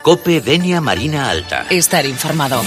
COPE Denia Marina Alta. Estar informado.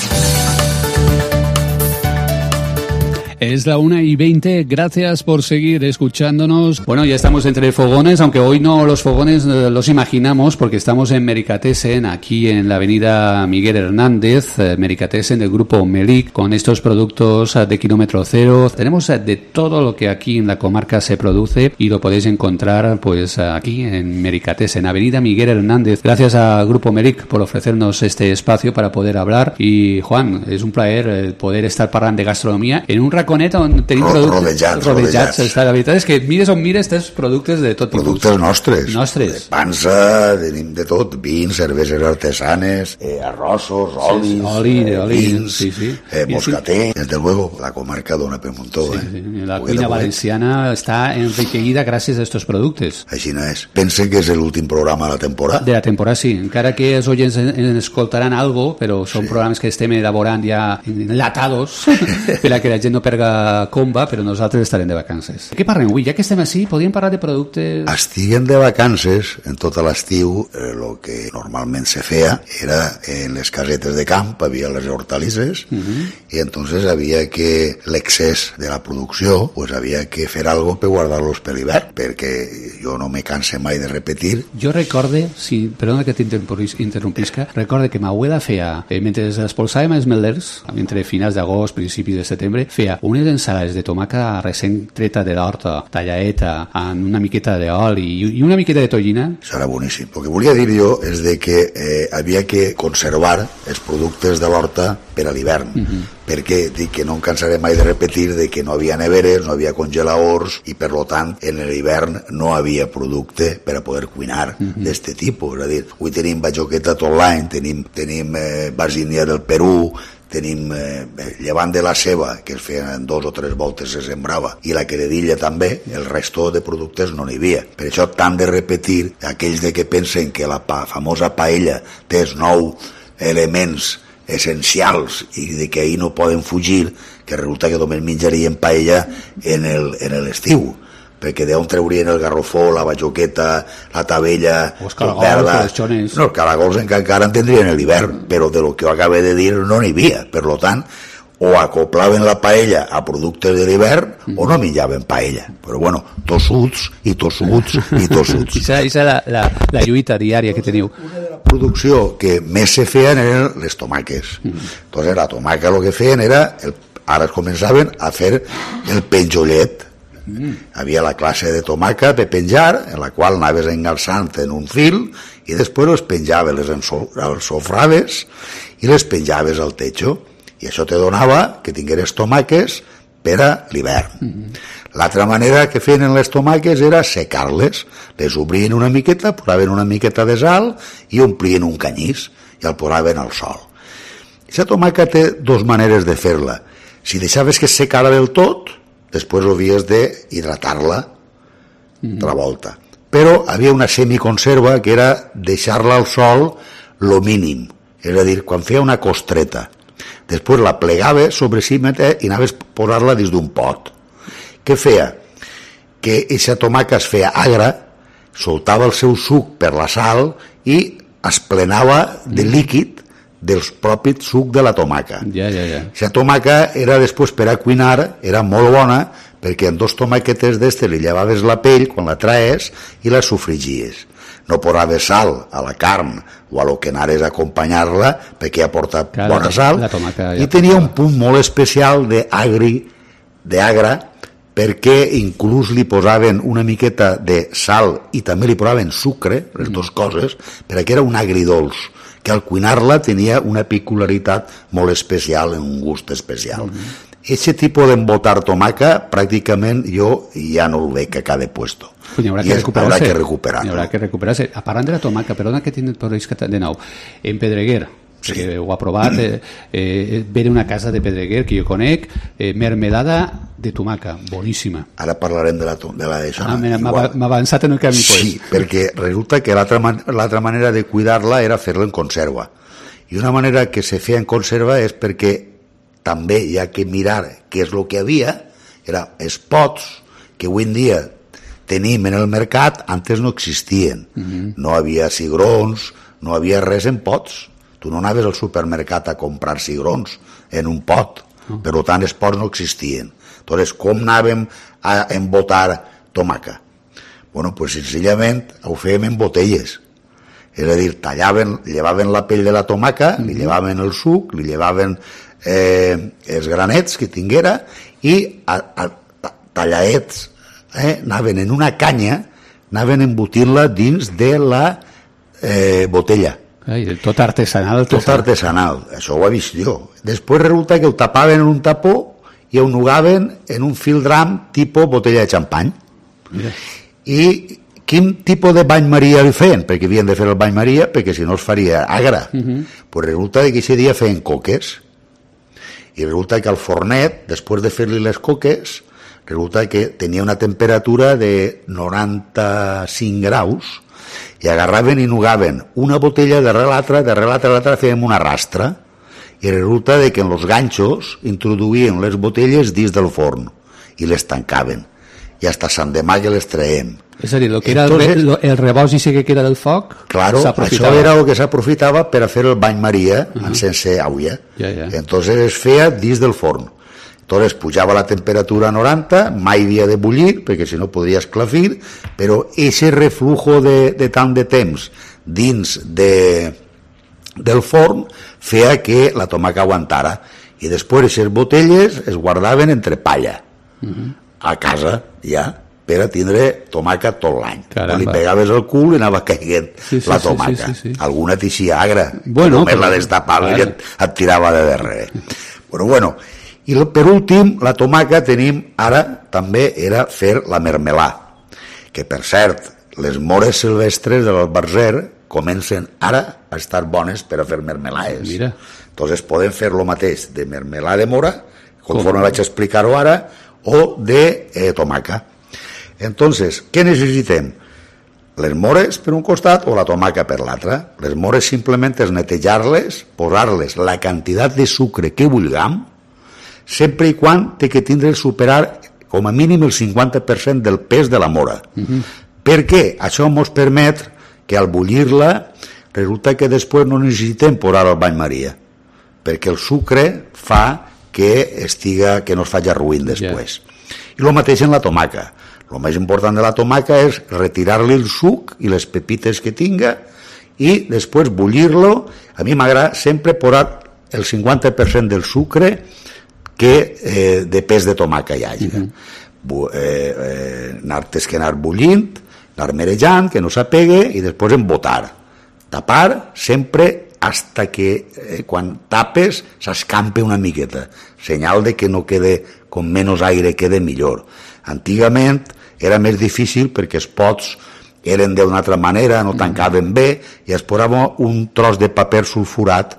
Es la 1:20, gracias por seguir escuchándonos. Bueno, ya estamos entre fogones, aunque hoy no los fogones los imaginamos porque estamos en Mericatessen, aquí en la avenida Miguel Hernández, Mericatessen del grupo Melic, con estos productos de kilómetro cero. Tenemos de todo lo que aquí en la comarca se produce y lo podéis encontrar pues aquí en Mericatessen, avenida Miguel Hernández. Gracias a Grupo Melic por ofrecernos este espacio para poder hablar. Y Juan, és un plaer poder estar parlant de gastronomia en un raconet on tenim rodejats. La veritat és que mires on mires tens productes de tot tipus. Productes nostres. De pansa, tenim de tot, vins, cerveses artesanes, arrossos, olis, vins, moscater. Desde luego, la comarca dona per muntó. La cuina valenciana està enriquecida gràcies a estos productes. Així no és. Pensen que és l'últim programa de la temporada? De la temporada, sí. Encara que els oients en escoltaran algo, però són programes que estem elaborant ja enlatados per a que la gent no perga comba, però nosaltres estarem de vacances. Què parlem avui? Ja que estem així, podríem parlar de productes... Estiguen de vacances, en tot l'estiu, el que normalment se feia era en les casetes de camp, havia les hortalisses, i entonces havia que l'excés de la producció, pues havia que fer algo per guardar-los per l'hivern, perquè jo no me canse mai de repetir. Jo recorde, perdona que t'interrompisca, recorde que m'abuela feia, mentre espolsàvem els melers, entre finals d'agost, principis de setembre, feia unes ensalades de tomàquet recent treta de l'horta, tallaeta, amb una miqueta d'oli i una miqueta de tonyina. Això era boníssim. El que volia dir jo és de que havia que conservar els productes de l'horta per a l'hivern, perquè dic que no em cansaré mai de repetir de que no havia neveres, no havia congeladors i per lo tant en l'hivern no havia producte per a poder cuinar d'este tipus. És a dir, avui tenim bajoqueta tot l'any, tenim basínia del Perú, tenim llevant de la ceba, que es feien 2 o 3 voltes se sembrava, i la queredilla també, el resto de productes no n'hi havia. Per això tant de repetir aquells de que pensen que la famosa paella té 9 elements essencials i de que ahir no poden fugir, que resulta que només menjarien paella en l'estiu, perquè d'on treurien el garrofó, la bajoqueta, la tabella, els caragols, no, els caragols encara en tindrien l'hivern, però de lo que ho acabé de dir no n'hi havia. Per tant, o acoplaven la paella a productes de l'hivern o no menjaven paella. Però bueno, tossuts. Ixa la lluita diària que teniu. Una de la producció que més se feien eren les tomaques. Entonces la tomaca el que feien era, ara es començaven a fer el penjollet. Havia la classe de tomaca per penjar, en la qual anaves engalçant en un fil i després les penjaves, les ensofraves i les penjaves al techo, i això te donava que tingueres tomaques per a l'hivern. L'altra manera que feien les tomaques era secar-les, les obrien una miqueta, posaven una miqueta de sal i omplien un canyís i el posaven al sol. Aquesta tomaca té 2 maneres de fer-la. Si deixaves que es secara del tot, després havies d'hidratar-la de la volta. Però havia una semiconserva que era deixar-la al sol lo mínim, és a dir, quan feia una costreta. Després la plegaves sobre si i anaves a posar-la dins d'un pot. Què feia? Que aquesta tomaca es feia agra, soltava el seu suc per la sal i es plenava de líquid del propi suc de la tomaca. La tomaca era després per a cuinar, era molt bona perquè en 2 tomaquetes d'estes li llevaves la pell quan la traes i la sofrigies. No posaves sal a la carn o a lo que anares a acompanyar-la perquè ja porta bona sal i tenia un punt molt especial d'agra perquè inclús li posaven una miqueta de sal i també li posaven sucre, les 2 coses, perquè era un agridolç que al cuinar-la tenia una peculiaritat molt especial, un gust especial. Aquest tipus d'embotar tomaca pràcticament jo ja no el veig a cada puesto. Pues habrá que recuperarse. Parlant de la tomaca, perdona que tinc por de nou, en Pedreguer, que ho ha provat, ve d'una casa de Pedreguer que jo conec, mermelada de tomaca, boníssima. Ara parlarem de d'això. M'ha avançat en el camí. Sí, perquè resulta que l'altra manera de cuidar-la era fer-la en conserva. I una manera que se feia en conserva és perquè també hi ha que mirar què és el que havia, era els pots que avui en dia tenim en el mercat, antes no existien. No havia cigrons, no havia res en pots. Tu no anaves al supermercat a comprar cigrons en un pot, per tant els pots no existien. Entonces, com anàvem a embotar tomaca? Bueno, pues senzillament ho fèiem en botelles. És a dir, llevaven la pell de la tomaca, li llevaven el suc, li llevaven els granets que tinguera i tallaets anaven en una canya, anaven embotint-la dins de la botella. Ai, tot artesanal. Tot artesanal, això ho he vist jo. Després resulta que ho tapaven en un tapó i ho nugaven en un fildram tipus botella de xampany. Mira. I quin tipus de bany maria li feien? Perquè havien de fer el bany maria, perquè si no es faria agra. Pues resulta que aquest dia feien coques. I resulta que al fornet, després de fer-li les coques, resulta que tenia una temperatura de 95 graus i agarraven i nugaven una botella darrere l'altra, fèiem una rastra i resulta que en els ganxos introduïen les botelles dins del forn i les tancaven i hasta Sant Demà que les traiem. És a dir, el que era el rebost i que era del foc, claro, això era el que s'aprofitava per a fer el bany maria sense aigua. Entonces es feia dins del forn. Entonces pujava la temperatura a 90, mai havia de bullir, perquè si no podria esclafir, però ese reflujo de tant de temps dins del forn feia que la tomaca aguantara. I després aquestes botelles es guardaven entre palla, a casa ja, per a tindre tomaca tot l'any. Li pegaves el cul i anava caiguent la tomaca. Alguna teixia agra, només la destapava i et tirava de darrere. Bueno, i per últim, la tomaca tenim ara també era fer la mermelà, que per cert, les mores silvestres de l'Albarzer comencen ara a estar bones per a fer mermelades. Entonces podem fer lo mateix de mermelà de mora, conforme vaig explicar-ho ara, o de tomaca. Entonces, què necessitem? Les mores per un costat o la tomaca per l'altre. Les mores simplement és netejar-les, posar-les la quantitat de sucre que vulguem, sempre i quan té que tindre superar com a mínim el 50% del pes de la mora. Per què? Això ens permet que al bullir-la resulta que després no necessitem posar el bany maria, perquè el sucre fa que no es faci ruïn després. I el mateix en la tomaca. El més important de la tomaca és retirar-li el suc i les pepites que tinga i després bullir-lo. A mi m'agrada sempre posar el 50% del sucre que de pes de tomaca hi hagi. Anar bullint, anar merejant, que no s'apegue i després embotar. Tapar sempre hasta que quan tapes s'escampe una miqueta, senyal de que no quede, com menys aire quede millor. Antigament era més difícil perquè els pots eren d'una altra manera, no tancaven bé i es posava un tros de paper sulfurat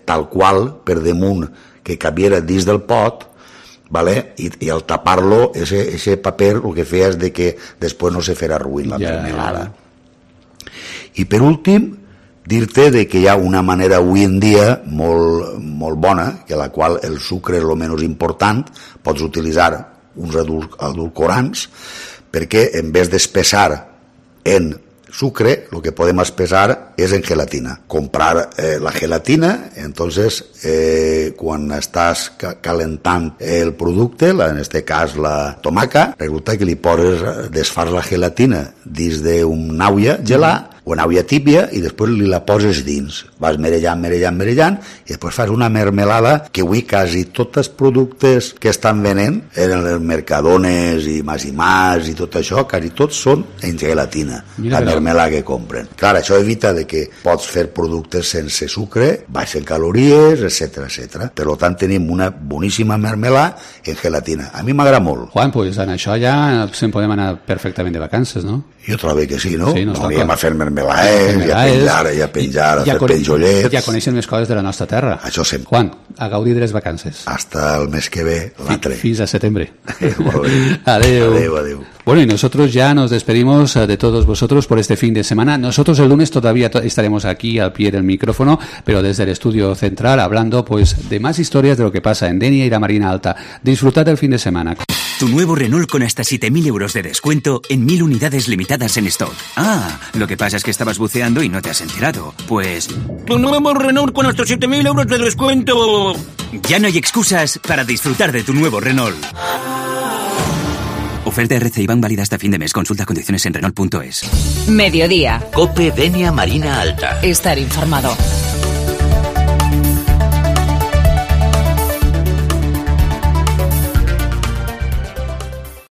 tal qual per damunt que cabiera dins del pot, i al tapar-lo, ese paper el que feia és que després no se farà ruïn la mermelada. I per últim, dir-te que hi ha una manera avui en dia molt bona, que la qual el sucre és el menys important, pots utilitzar uns edulcorants, perquè en vez d'espessar en sucre, lo que podem espessar és en gelatina. Comprar la gelatina, entonces quan estàs calentant el producte, en este cas la tomaca, resulta que li poses, desfars la gelatina dins d'una aula gelar o una aula tíbia i després li la poses dins. Vas merejant i després fas una mermelada que avui quasi tots els productes que estan venent en els mercadones i Mas i tot això, quasi tots són en gelatina. La mermelada que compren. Clar, això evita que pots fer productes sense sucre, baix en calories, etc. Per tant, tenim una boníssima mermelada en gelatina. A mi m'agrada molt. Juan, pues en això ja se'n podem anar perfectament de vacances, no? Jo trobo que sí, no? No anem a fer mermelades, i a penjar, a fer penjollets. Ja coneixen més coses de la nostra terra. Això sempre. Juan, a gaudir de les vacances. Hasta el mes que ve, l'altre. Fins a setembre. Adeu. Bueno, y nosotros ya nos despedimos de todos vosotros por este fin de semana. Nosotros el lunes todavía estaremos aquí al pie del micrófono, pero desde el estudio central hablando pues de más historias de lo que pasa en Denia y la Marina Alta. Disfrutad del fin de semana. Tu nuevo Renault con hasta 7.000 euros de descuento en 1.000 unidades limitadas en stock. Ah, lo que pasa es que estabas buceando y no te has enterado. Pues... Tu nuevo Renault con hasta 7.000 euros de descuento. Ya no hay excusas para disfrutar de tu nuevo Renault. Oferta RC Iván válida hasta fin de mes. Consulta condiciones en Renault.es. Mediodía. COPE Denia Marina Alta. Estar informado.